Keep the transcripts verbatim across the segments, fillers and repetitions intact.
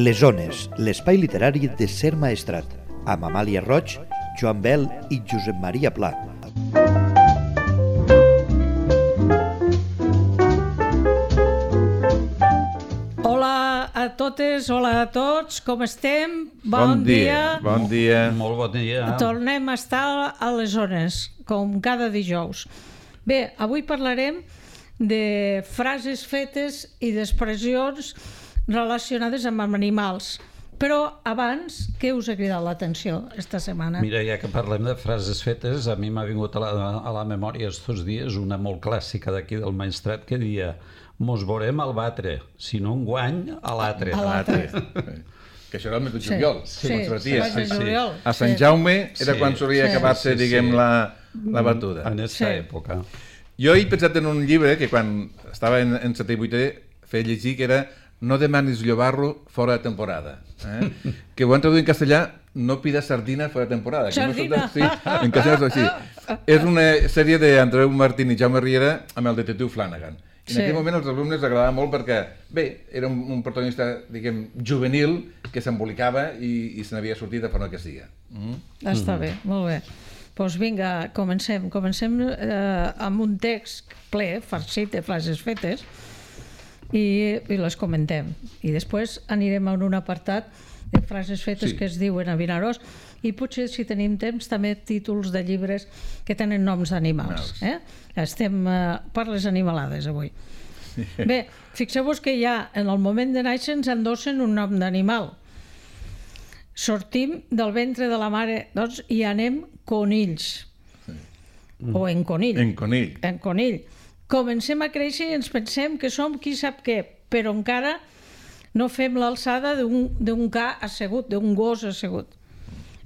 Les Ones, l'espai literari de Ser Maestrat, amb Amàlia Roig, Joan Bel i Josep Maria Pla. Hola a totes, hola a tots, com estem? Bon, bon dia, dia. Bon dia. Molt bon dia. Tornem a estar a les Ones, com cada dijous. Bé, avui parlarem de frases fetes i d'expressions relacionades amb animals. Però abans, què us ha cridat l'atenció esta setmana? Mira, ja que parlem de frases fetes, a mi m'ha vingut a la, a la memòria estos dies una molt clàssica d'aquí del Maestrat que dia mos veurem al batre, si no un guany, a l'altre. A l'altre. Que això era el mes de juliol. Sí, sí, sí, sí, sí. A Sant Jaume era sí, quan solia sí, acabar-se, sí, diguem, sí. la, la batuda. En aquesta Sí. època. Jo he pensat en un llibre que quan estava en, en setè i vuitè feia llegir, que era No demanis llobarro fora de temporada. Eh? Que ho han traduït en castellà, no pidas sardina fora de temporada. Sardina! No sí, en castellà és així. És una sèrie d'Andreu Martín i Jaume Riera amb el detectiu Flanagan. I en Sí. aquell moment els alumnes agradava molt perquè, bé, era un, un protagonista, diguem, juvenil, que s'embolicava i, i se n'havia sortit de forma que siga. Mm? Està bé, molt bé. Doncs vinga, comencem. Comencem eh, amb un text ple, farcit de frases fetes, i, i les comentem. I després anirem a un apartat de frases fetes Sí. que es diuen a Vinaròs, i potser, si tenim temps, també títols de llibres que tenen noms d'animals. Eh? Estem eh, per les animalades avui. Bé, fixeu-vos que ja en el moment de néixer ens endossen un nom d'animal. Sortim del ventre de la mare, doncs, i anem conills. O en conill. En conill. En conill. Comencem a créixer i ens pensem que som qui sap què, però encara no fem l'alçada d'un ca assegut, d'un gos assegut.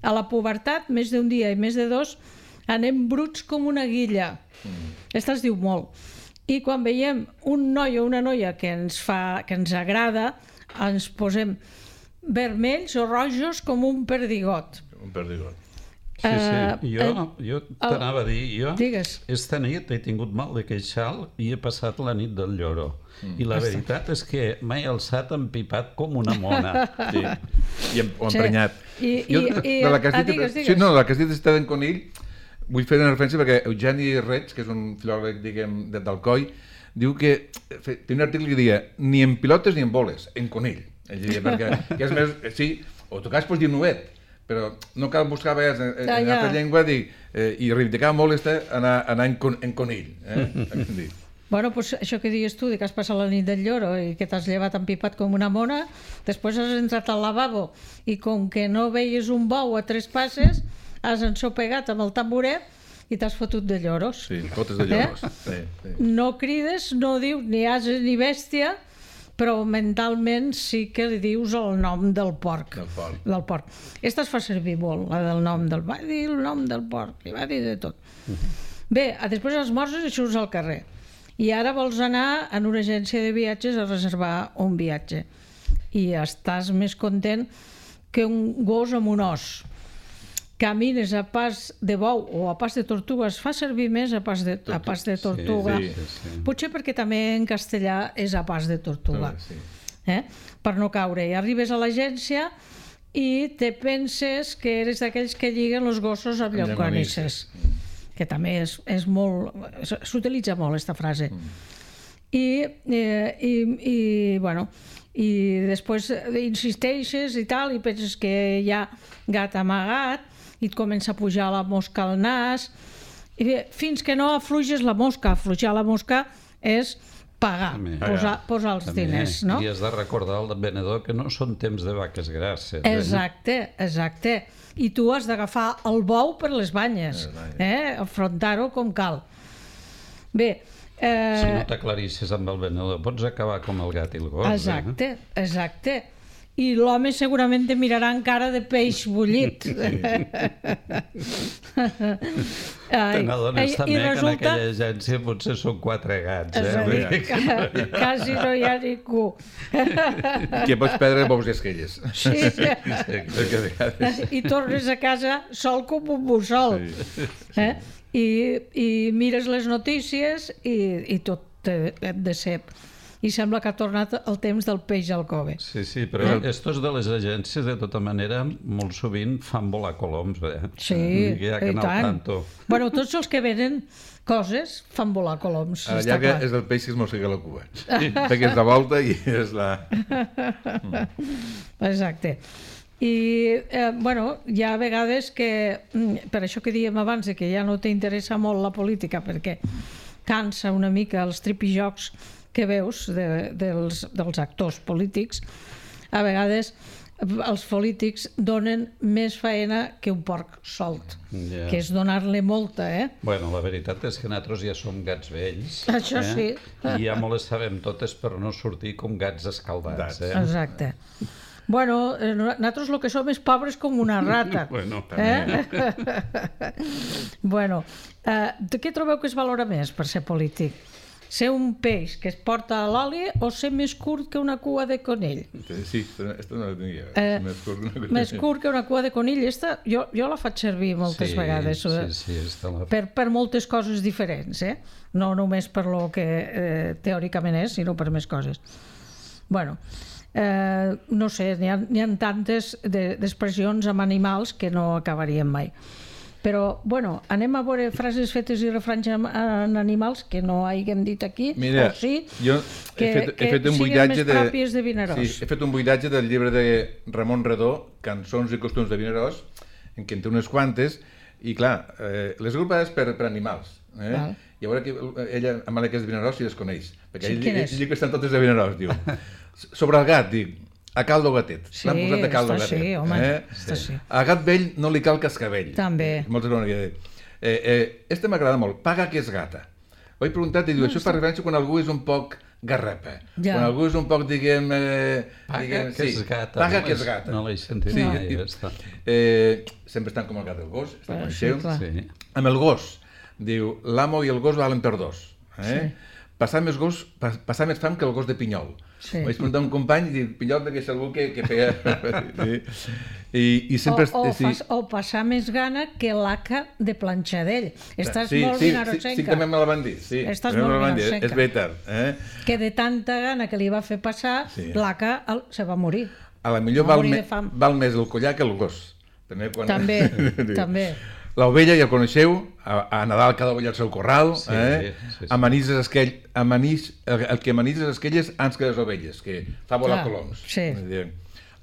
A la pubertat, més d'un dia i més de dos, anem bruts com una guilla. Aquesta es diu molt. I quan veiem un noi o una noia que ens fa, que ens agrada, ens posem vermells o rojos com un perdigot. Un perdigot. Sí, sí. Uh, Jo, uh, jo t'anava a dir, jo Digues. esta nit he tingut mal de queixal i he passat la nit del lloro. Mm. I la veritat és que m'he alçat empipat com una mona. Sí. I em, o Sí. emprenyat. I, i, Jo, i, de la que has ah, dit, digues, digues. Sí, no, de la que has dit està d'en Conill, vull fer una referència perquè Eugeni Reig, que és un filòleg, diguem, de- d'Alcoi, diu que fe- té un article que diria ni en pilotes ni en boles, en conill. Ell diria, perquè que és més, sí, o tu cas pots dir novet, però no cal buscar a vegades en, en Ja, ja. altra llengua dir, eh, i reivindicava molt este anar, anar en, con, en conill. Eh? Bueno, pues això que dius tu, de que has passat la nit del lloro i que t'has llevat empipat com una mona, després has entrat al lavabo i com que no veies un bou a tres passes, has ensopegat amb el tamboret i t'has fotut de lloros. Sí, potes de lloros. Eh? Sí, sí. No crides, no dius ni ase ni bèstia, però mentalment sí que li dius el nom del porc. Del porc. Del porc. Esta es fa servir molt, la del nom del... Va dir el nom del porc, li va dir de tot. Bé, després esmorzes i surts al carrer. I ara vols anar en una agència de viatges a reservar un viatge. I estàs més content que un gos amb un os. Camines a pas de bou o a pas de tortuga, es fa servir més a pas de, a pas de tortuga. sí, sí, sí. Potser perquè també en castellà és a pas de tortuga. Sí. Eh? Per no caure. I arribes a l'agència i te penses que eres d'aquells que lliguen els gossos amb llonganisses. Que també és, és molt... S'utilitza molt, aquesta frase. I, eh, i, i, bueno, i després insisteixes i tal, i penses que hi ha gat amagat, i et comença a pujar la mosca al nas, i bé, fins que no afluixes la mosca. Afluixar la mosca és pagar, També. posar, posar els També, diners, no? I has de recordar al venedor que no són temps de vaques grasses. Eh? Exacte, exacte. I tu has d'agafar el bou per les banyes, eh? Afrontar-ho com cal. Bé, eh... Si no t'aclarissis amb el venedor, pots acabar com el gat i el gos. Exacte, exacte. I l'home segurament te mirarà amb cara de peix bullit. Te n'adones també I que en resulta... aquella agència potser són quatre gats. És a Eh? dir, que quasi no hi ha ningú. Que pots perdre bous d'esquelles. Sí, sí. Perquè a vegades... I tornes a casa sol com un mussol. Eh? I, I mires les notícies i, i tot et decep. i sembla que ha tornat el temps del peix al cove. Sí, sí, però eh? estos de les agències, de tota manera, molt sovint fan volar coloms, eh? Sí, ja i tant. Bueno, tots els que venen coses fan volar coloms, a la està llarga clar. és el peix que es mossega la cua. Sí. Perquè és de volta i és la... Exacte. I, eh, bueno, hi ha vegades que, per això que dèiem abans, que ja no t'interessa molt la política, perquè cansa una mica els tripijocs que veus de, dels, dels actors polítics, a vegades els polítics donen més faena que un porc solt, yeah. que és donar-li molta, eh? Bueno, la veritat és que nosaltres ja som gats vells. Això eh? sí. I ja me les sabem totes per no sortir com gats escaldats. Eh? Exacte. Bueno, nosaltres el que som és pobres com una rata. Bueno, també. Eh? Bueno, eh, de què trobeu que es valora més per ser polític? Ser un peix que es porta a l'oli o ser més curt que una cua de conill? Sí, aquesta no la tenia. Eh, més, curt més curt que una cua de conill. Esta, jo, jo la faig servir moltes sí, vegades sí, sí, la... per, per moltes coses diferents, eh? No només per lo que eh, teòricament és, sinó per més coses. Bueno, eh, no sé, n'hi ha, n'hi ha tantes d'expressions amb animals que no acabaríem mai. Però, bueno, anem a veure frases fetes i refranys en animals que no haguem dit aquí, Mira, o sí, jo que, he fet, he que fet un siguin més de... pròpies de Vinaròs. Sí, he fet un buidatge del llibre de Ramon Redó, Cançons i costums de Vinaròs, en què en té unes quantes, i clar, eh, les agrupades per, per animals. Eh? Val. I a veure que ella, amb la que és de Vinaròs, si les coneix. Perquè Sí, ell, quin ell, és? ell diu que estan totes de Vinaròs, diu. Sobre el gat, dic, a caldo gatet. Sí, L'han posat a caldo està gatet. sí, home, eh? està sí. A gat vell no li cal cascavell. També. Moltes vegades. Eh, eh, este m'agrada molt, paga que és gata. Ho he preguntat i diu, això fa referència quan algú és un poc garrapa. Ja. Quan algú és un poc, diguem... Eh, Paga diguem, que sí, és gata. Paga no que és gata. No l'he sentit Sí, mai, i- aquesta. Eh, sempre estan com el gat del gos, està Eh, com sí, seu. clar. Sí. Amb el gos, diu, l'amo i el gos valen per dos. Eh? Sí. Passar més gos, pas, passar més fam que el gos de Pinyol. Sí. Vaig preguntar a un company i diu, Pinyol perquè és algú que, que feia... sí. I, i sempre... O, o, sí. fas, o passar més gana que l'haca de Planxadell. Estàs sí, molt sí, sí, vinarossenca. sí, també me la van dir. Sí, Estàs també me molt la van dir. vinarossenca. És veritat. Eh? Que de tanta gana que li va fer passar, Sí. l'haca el- se va morir. A la millor Va val, morir me, de fam. val més el collar que el gos. També. Quan... També, també. L'ovella ja el coneixeu, a, a Nadal cada ovella al seu corral, Sí, eh? sí, sí. Amanises esquell, amanís, el, el que amanises esquelles ans que les ovelles, que fa volar Clar, coloms. sí.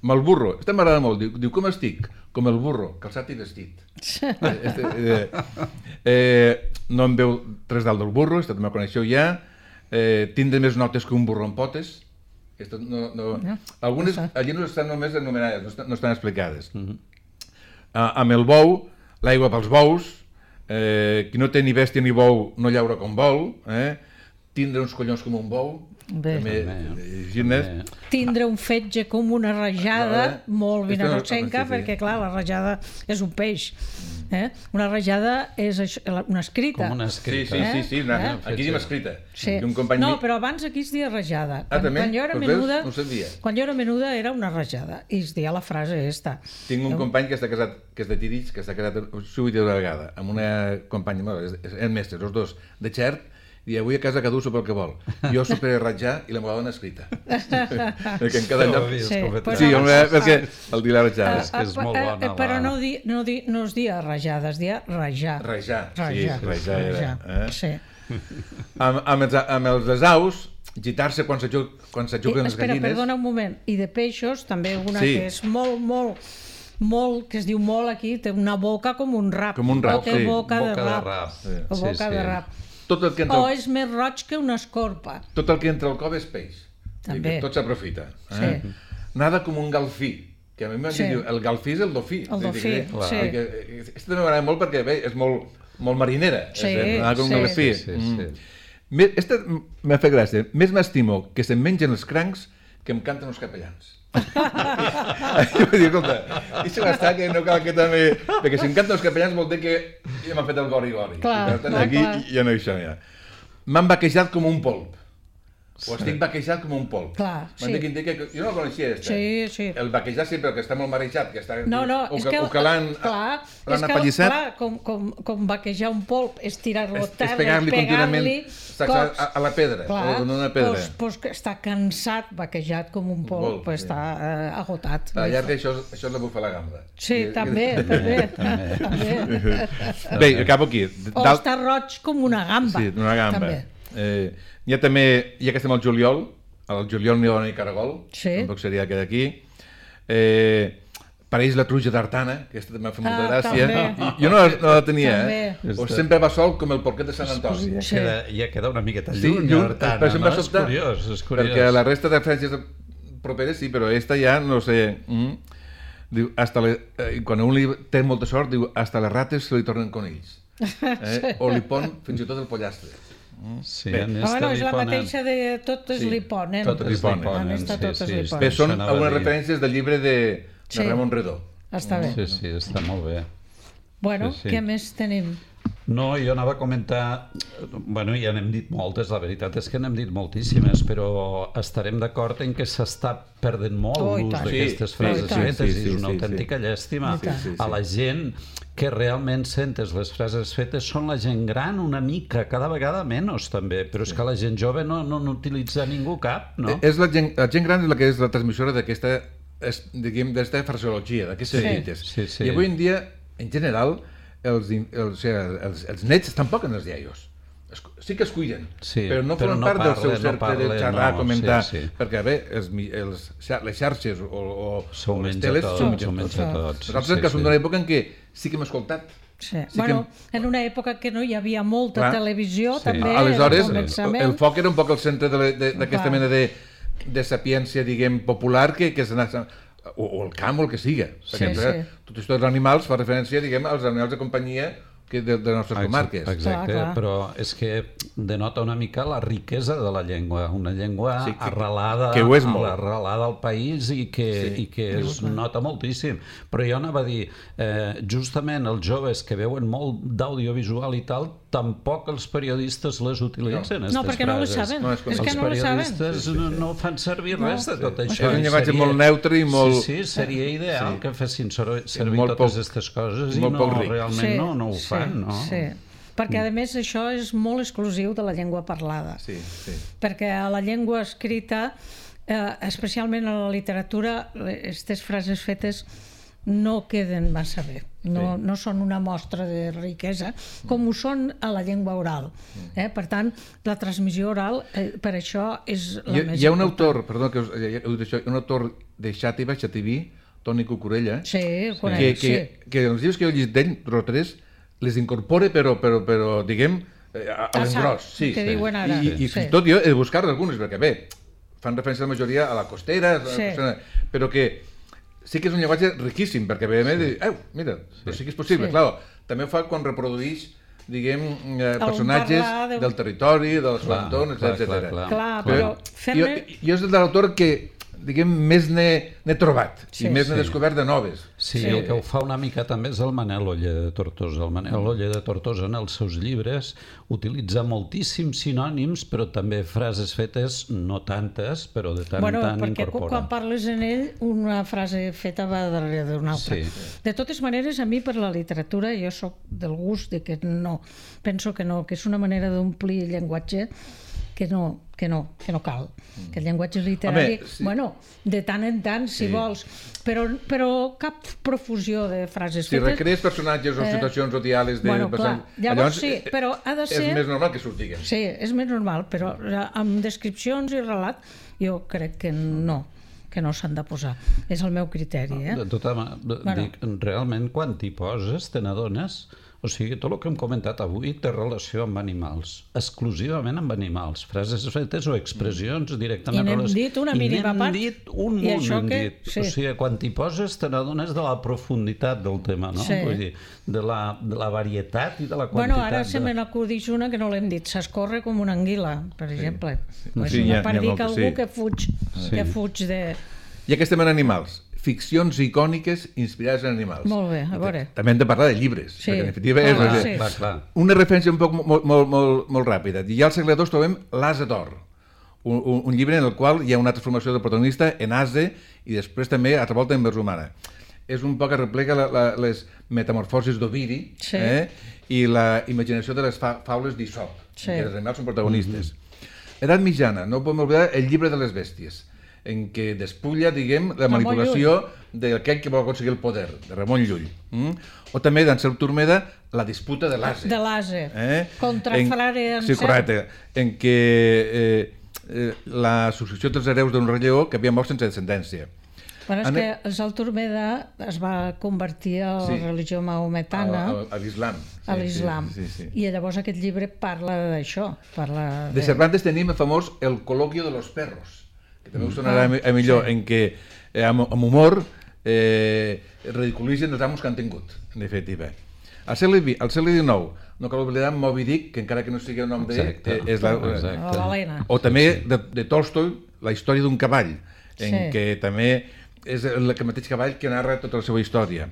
Amb el burro, este m'agrada molt, diu, diu, com estic? Com el burro, calçat i vestit. eh, este, eh, eh, no em veu res dalt del burro, este també el coneixeu ja. Eh, tindre més notes que un burro amb potes. Esto no, no... No, Algunes això. allí no estan només anomenades, no estan, no estan explicades. Mhm. Ah, amb el bou, l'aigua pels bous, eh, qui no té ni bèstia ni bou no llaura com vol, eh? Tindre uns collons com un bou, Bé. també, També, eh, gines. També. Tindre un fetge com una rajada, No, eh? molt Esto no- vinarossenca, sí, sí. perquè clar, la rajada és un peix. Eh? Una rajada és això, una escrita. Com una Sí, escrita. sí, sí, sí, una, Eh? aquí diem escrita. Sí. I un company No, mi- però abans aquí es deia rajada. Ah, també? Quan jo era Doncs veus? menuda, No ho sabia. quan jo era menuda era una rajada i es deia la frase esta. Tinc un company que està casat, que és de Tirits, que està casat sovint una vegada, amb una companya, bueno, és, és, és mestre, els dos, de Xert, i avui a casa cada un sopa el que vol. Jo soparé a ratjar i la m'ho dona escrita. Perquè en cada No ho lloc... havia Sí, escoltat. però- Sí, home, Ah, perquè el dir la ratjada. És que és Ah, molt eh, bona, eh, Però la- no, di, no, di, no es dia rajada, es dia rajar. Rajar, sí, Rajar, rajar era. Eh? Sí. Amb, amb, els, amb els des aus, gitar-se quan se, jug, quan se I, juguen les espera, gallines... perdona un moment. I de peixos, també una Sí. que és molt, molt, molt, que es diu molt aquí, té una boca com un rap. Com un rap, O té sí. boca, Boca de de rap. rap. O Sí, boca sí. de rap. Tot el, que entra, O al- és més roig que una escorpa. tot el que entra al cov és peix. També. I tot s'aprofita. Eh? Sí. Nada com un galfí. Que a mi m'han Sí. dit, el galfí és el dofí. El dofí, Clar. sí. Que, aquesta també m'agrada molt perquè bé, és molt, molt marinera. Sí, és, nada com un sí. galfí. Sí, sí, Mm. sí. Me- Esta m'ha fet gràcia. Més m'estimo que se'm mengen els crancs que em canten els capellans. Jo vaig dir, escolta, i si m'està que no cal que també... Perquè si em canten els capellans vol dir que ja m'ha fet el gori-gori. Clar, I per tant, clar, aquí clar. ja no hi som ja. M'han vaquejat com un polp. o estic vaquejat com un polp. Clar, M'han sí. dit que indica que... Jo no el coneixia, este. Sí, sí. El vaquejar sempre, que està molt marejat, que està... No, no, o és que, que... o que l'han clar, l'han és que, apallissat. clar, com, com, com vaquejar un polp és tirar-lo a És, és terra, pegar-li contínuament pegar-li a, a la pedra, clar, o en una pedra. Pues, pues que està cansat, vaquejat com un polp, Polp, pues sí. està eh, agotat. A la llarga això, això és la bufa a la gamba. Sí, I- també, també. també. Bé, acabo aquí. O Dalt- està roig com una gamba. Sí, una gamba. També. Eh, hi ha també, ja que estem al juliol, al juliol n'hi ha ni caragol, Sí. tampoc seria aquest d'aquí. Eh, pareix la truja d'Artana, que aquesta també m'ha fet molta Ah, gràcia. també. I- Jo no, la- no la tenia, També. eh? O sempre va sol com el porquet de Sant Antoni. Ja Sí. queda, ja queda una miqueta Sí, lluny, lluny, Artana, per això em va no? És sobtar, curiós, és curiós. perquè la resta de referències properes sí, però esta ja, no sé... Mm, diu, hasta le, eh, quan un li té molta sort, diu, hasta les rates se li tornen conills. Eh? O li pon fins i tot el pollastre. Sí, Bé. en Ah, este bueno, és li la ponen- mateixa de tot es Sí, li ponen. tot es li ponen. En esta sí, tot es sí, li sí. ponen. Bé, són Això anava algunes a dir. referències del llibre de, de Sí. Ramon Redó. Està bé. Sí, sí, està molt bé. Bueno, Sí, sí. què més tenim? No, jo anava a comentar... Bueno, ja n'hem dit moltes, la veritat és que n'hem dit moltíssimes, però estarem d'acord en que s'està perdent molt Oh, i l'ús tant. d'aquestes Sí, frases i tant. fetes Sí, i sí, és una sí, autèntica sí. llàstima. I tant. Sí, sí, A sí. la gent que realment sentes les frases fetes són la gent gran una mica, cada vegada menys també, però és que la gent jove no no n'utilitza ningú cap, no? Eh, És la gent, la gent gran és la que és la transmissora d'aquesta, es- diguem, d'aquesta fraseologia, d'aquestes Sí. dites. Sí, sí. I avui en dia, en general, els, in- els, o sigui, els, els nets tampoc en els iaios. Es- Sí que es cuiden, Sí, però no però formen no part del seu parlen, no cercle de parlen, xerrar, no, comentar, sí, sí. perquè bé, els, mi- els, xa- les xarxes o, o, S'ho o les menja teles tot, s'ho s'ho mengen menja tot. tot. Nosaltres sí, que som sí. d'una època en què sí que hem escoltat. Sí. Sí Bueno, que- en una època que no hi havia molta Clar. televisió, Sí. també, Aleshores, al començament. el foc era un poc el centre de la- de- d'aquesta Clar. mena de, de sapiència, diguem, popular, que, que s'anava... O, o el camp o el que siga. Sí, Perquè, sí. Tots aquests animals fa referència, diguem, als animals de companyia que de, de les nostres comarques. Exacte, Clar, clar. però és que denota una mica la riquesa de la llengua, una llengua Sí, que- arrelada, que ho és molt. arrelada al país i que, Sí. i que es nota moltíssim. Però jo anava a dir, eh, justament els joves que veuen molt d'audiovisual i tal, tampoc els periodistes les utilitzen, No, perquè no les frases. saben. No, és és que Els no les saben. periodistes no, no fan servir res de tot això. És un I llenguatge seria- molt neutre i molt- Sí, sí, seria ideal Sí. que fessin ser- servir molt totes poc- aquestes coses i molt no, poc ric. realment no, no ho sí, fan, no? Sí, perquè a més això és molt exclusiu de la llengua parlada. Sí, sí. Perquè a la llengua escrita, eh, especialment a la literatura, aquestes frases fetes no queden massa bé. No, Sí. no són una mostra de riquesa, com ho són a la llengua oral. Eh? Per tant, la transmissió oral, eh, per això és la Hi, ha- més hi ha un important. autor, perdó que us, ja, heu dit això, un autor de Xàtiva, Xativí, Toni Cucurella, Sí, ho que, conec, que, sí. que els llibres que jo he llegit d'ell, dos o tres, les incorpora, però, però, però diguem, eh, a, a A l'engròs. sac, Sí, que sí. diuen ara. I, i fins Sí. i tot jo he de buscar algunes, perquè bé, fan referència la majoria a la costera, Sí. però que sí que és un llenguatge riquíssim, perquè ve sí. dir, eh, mira, sí. però sí que és possible, Sí. clar, també ho fa quan reprodueix, diguem, eh, personatges parlar de- del territori, del seu Clar, entorn, clar, etcètera. clar, clar. Clar, Però però jo, fer-ne... jo és de l'autor que, diguem, més n'he n'he trobat Sí, i més n'he sí. descobert de noves. Sí, Sí. el que ho fa una mica també és el Manel Oller de Tortosa. El Manel Oller de Tortosa en els seus llibres utilitza moltíssims sinònims, però també frases fetes, no tantes, però de tant Bueno, en tant perquè incorpora. quan parles en ell, una frase feta va darrere d'una altra. Sí. De totes maneres, a mi per la literatura, jo sóc del gust de que no, penso que no, que és una manera d'omplir el llenguatge que no, que no, que no cal. Que el llenguatge literari, Home, sí. bueno, de tant en tant, si Sí. vols, però, però cap profusió de frases Si fetes. recrees personatges o Eh, situacions o diàlegs de... bueno, clar, llavors sí, eh, però ha de ser... És més normal que surtiguen. Sí, és més normal, però amb descripcions i relat jo crec que no, que no s'han de posar. És el meu criteri, eh? De tota manera, Bueno. dic, realment, quan t'hi poses, te n'adones... O sigui, tot el que hem comentat avui té relació amb animals, exclusivament amb animals, frases fetes o expressions directament... I n'hem relac- dit una I mínima n'hem part. dit un I munt, això n'hem que- dit. sí. O sigui, quan t'hi poses te n'adones de la profunditat del tema, no? Sí. Vull dir, de la, de la varietat i de la quantitat. Bueno, ara se de... me n'acudix una que no l'hem dit, s'escorre com una anguila, per exemple. És Sí, una n'hi ha- per n'hi ha dir que moltes, algú sí. que fuig, que fuig de... I que estem en animals. Ficcions icòniques inspirades en animals. Molt bé, a veure. També hem de parlar de llibres, Sí. perquè en definitiva Ah, és... clar, és- sí. Clar, clar. Una referència un poc molt, molt, molt, molt ràpida. Ja al segle dos trobem l'Asa d'Or, un, un, un llibre en el qual hi ha una transformació del protagonista en ase i després també altra volta en vers humana. És un poc que replega la, la, les metamorfosis d'Ovidi Sí. eh? i la imaginació de les fa, faules d'Isop, Sí. que els animals són protagonistes. Edat mitjana, no podem oblidar el llibre de les bèsties, en què despulla, diguem, la Ramon manipulació d'aquell que vol aconseguir el poder, de Ramon Llull. Mm? O també d'Ansel Turmeda, la disputa de l'ase. De l'ase. Eh? Contra en, frare Sí, Ansel. correcte. En què eh, eh, la successió dels hereus d'un rei lleó que havia mort sense descendència. Bueno, és Ane- que el Sant Turmeda es va convertir a la Sí. religió maometana, A, a, a l'islam. a l'islam, Sí, sí, sí. i llavors aquest llibre parla d'això. Parla De Cervantes tenim el famós El coloquio de los perros, que també us sonarà Ah, a millor, sí. en què eh, amb, amb humor eh, ridiculitzen els amos que han tingut, en definitiva. Al segle, vi- al segle dinou, no cal oblidar Moby Dick, que encara que no sigui el nom d'ell, Exacte, eh, és la, exacte. la balena. o també de, de Tolstoi, la història d'un cavall, en Sí. què també és el, el mateix cavall que narra tota la seva història.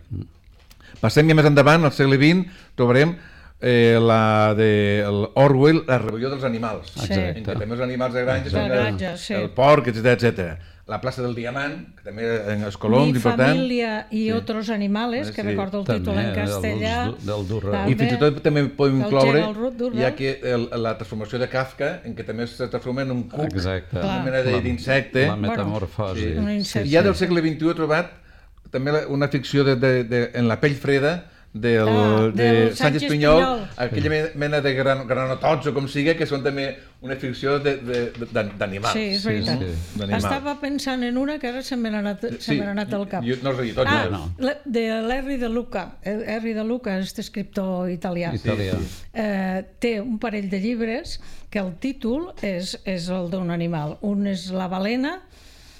Passem ja més endavant, al segle vint, trobarem eh, la de el Orwell, La rebel·lió dels animals, Sí. en què també els animals de granja són De el, granja, sí. el porc, etcètera, etcètera. La plaça del Diamant, que també en els coloms, Mi important. familia y otros animales, que Sí. recordo el També, títol en el castellà. dels- del Durrell. També. I fins i tot també podem El incloure Gerald Ruth Durrell. ja que el, la transformació de Kafka, en què també se transforma en un cuc, Exacte. una mena de- d'insecte. La metamorfosi. Un insecte. I ja del segle vint-i-u he trobat també la- una ficció de, de, de, en la pell freda del, Ah, de del Sánchez Sánchez Pinyol, Pinyol. aquella me- mena de gran, granotots o com sigui, que són també una ficció de- de- de- d'animals. Sí, és Sí, veritat. sí. D'animal. Estava pensant en una que ara se me n'ha anat, se me n'ha anat al cap. Jo, no els he dit tots. Ah, eh? no. la- de l'Henry de Luca. Henry de Luca, aquest escriptor italià. Italià. Eh, té un parell de llibres que el títol és, és el d'un animal. Un és La balena,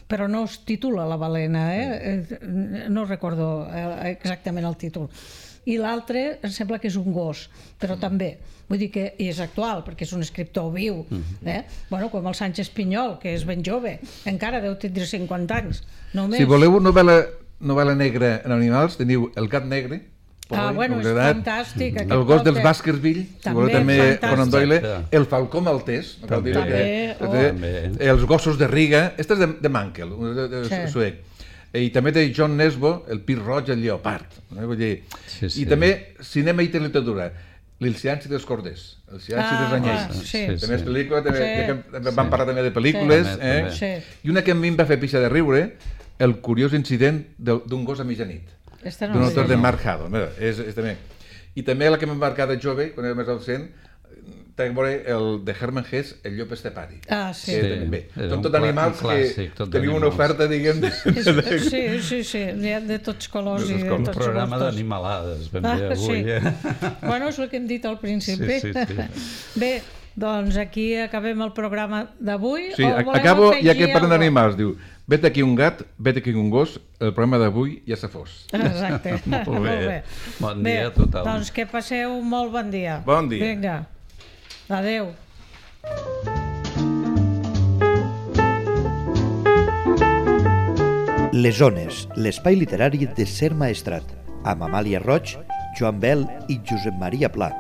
però no es titula La balena, eh? Eh, no recordo eh, exactament el títol. I l'altre em sembla que és un gos, però també, vull dir que i és actual, perquè és un escriptor viu, eh? Bueno, com el Sánchez Pinyol, que és ben jove, encara deu tindre cinquanta anys, només. Si voleu novel·la, novel·la negra en animals, teniu El gat negre, Ah, Poi, bueno, és novedat, fantàstic. El gos dels Baskerville, si També voleu també fantàstic. Conan Doyle, Exacte. El falcó maltès, no cal dir També, que, oh. també, Els gossos de Riga, este és de, de Mankel, de, de, de Sí. suec. I també de John Nesbo, El pit roig, el lleopard. No? Vull dir, Sí, sí. I també cinema i literatura, L'Il Cianci dels Corders, El Cianci Ah, dels Anyells. clar, sí. També és pel·lícula, també, Sí. ja que també vam Sí. parlar també de pel·lícules. Sí. Eh? També, també. I una que a mi em va fer pixa de riure, El curiós incident del- d'un gos a mitjanit, Esta no d'un la autor sé. de Mark Haddon. Mira, és, és també. I també la que m'ha marcat de jove, quan era més adolescent, té a veure el de Hermann Hesse, El llop estepari. Ah, sí. Que Sí, també, bé, era són un tot clà- animals un clàssic, que tot teniu una d'animals. oferta, diguem, de, És- Sí, sí, sí, n'hi ha de tots colors De i tots de colors. Un tots programa gustos. d'animalades, ben Ah, bé avui. sí. Eh? Bueno, és el que hem dit al principi. Sí, sí, sí. Bé, doncs aquí acabem el programa d'avui. Sí, o a- voleu acabo, ja afegir que parlen alguna d'animals, diu, vete aquí un gat, vete aquí un gos, el programa d'avui ja se fos. Exacte. Molt bé. Bon Bé, dia a tothom. Doncs que passeu un molt bon dia. Bon dia. Vinga. Adéu. Les Ones, l'espai literari de Ser Maestrat, amb Amàlia Roig, Joan Bel i Josep Maria Pla.